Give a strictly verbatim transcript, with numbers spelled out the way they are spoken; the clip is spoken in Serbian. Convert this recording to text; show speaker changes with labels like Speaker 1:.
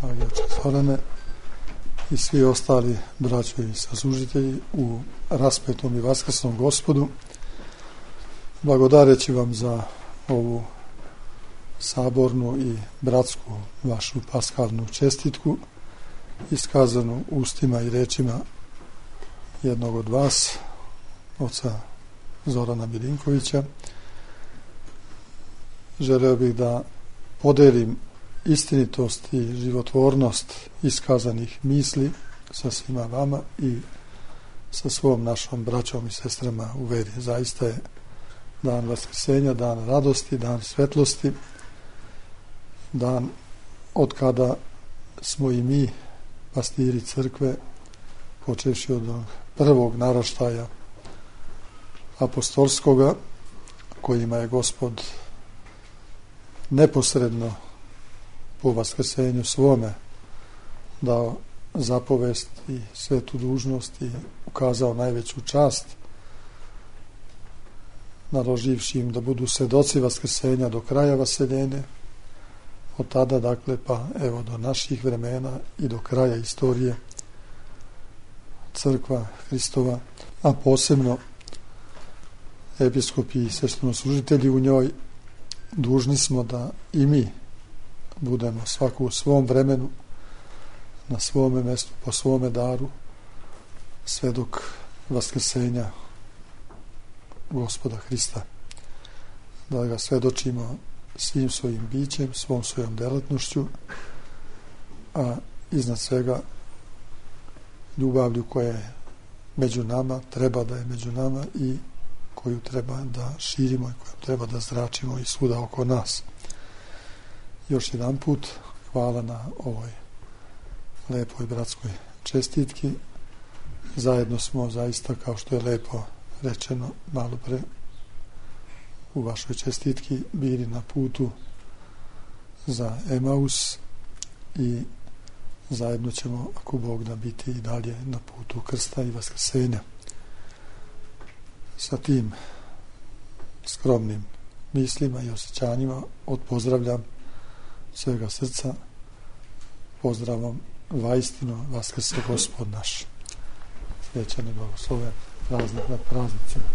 Speaker 1: dragi oče Zorane, i svi ostali braćo i saslužitelji u raspetom i vaskrsnom Gospodu, blagodareći vam za ovu sabornu i bratsku vašu paskalnu čestitku, iskazanu ustima i rečima jednog od vas, oca Zorana Milinkovića. Želeo bih da podelim istinitost i životvornost iskazanih misli sa svima vama i sa svom našom braćom i sestrama u veri. Zaista je dan vaskrsenja, dan radosti, dan svetlosti, dan od kada smo i mi, pastiri crkve, počevši od prvog naraštaja apostolskoga, kojima je Gospod neposredno po vaskrsenju svome dao zapovest i svetu dužnost i ukazao najveću čast, naloživši im da budu svedoci vaskrsenja do kraja vaseljenja. Od tada, dakle, pa evo do naših vremena i do kraja istorije crkva Hristova, a posebno episkopi i sveštenoslужitelji u njoj, dužni smo da i mi budemo svako u svom vremenu, na svome mestu, po svome daru, svedok vaskrsenja Gospoda Hrista. Da ga svedočimo svim svojim bićem, svom svojom delatnošću, a iznad svega ljubavlju koja je među nama, treba da je među nama i koju treba da širimo i koju treba da zračimo i svuda oko nas. Još jedan put hvala na ovoj lepoj bratskoj čestitki. Zajedno smo zaista, kao što je lepo rečeno malo pre u vašoj čestitki, bili na putu za Emaus i zajedno ćemo, ako Bog da, biti i dalje na putu krsta i vaskrsenja. Sa tim skromnim mislima i osjećanjima odpozdravljam svega srca pozdravom vaistino vaskrse Gospod naš. Srećan i blagosloven praznik nad praznicima.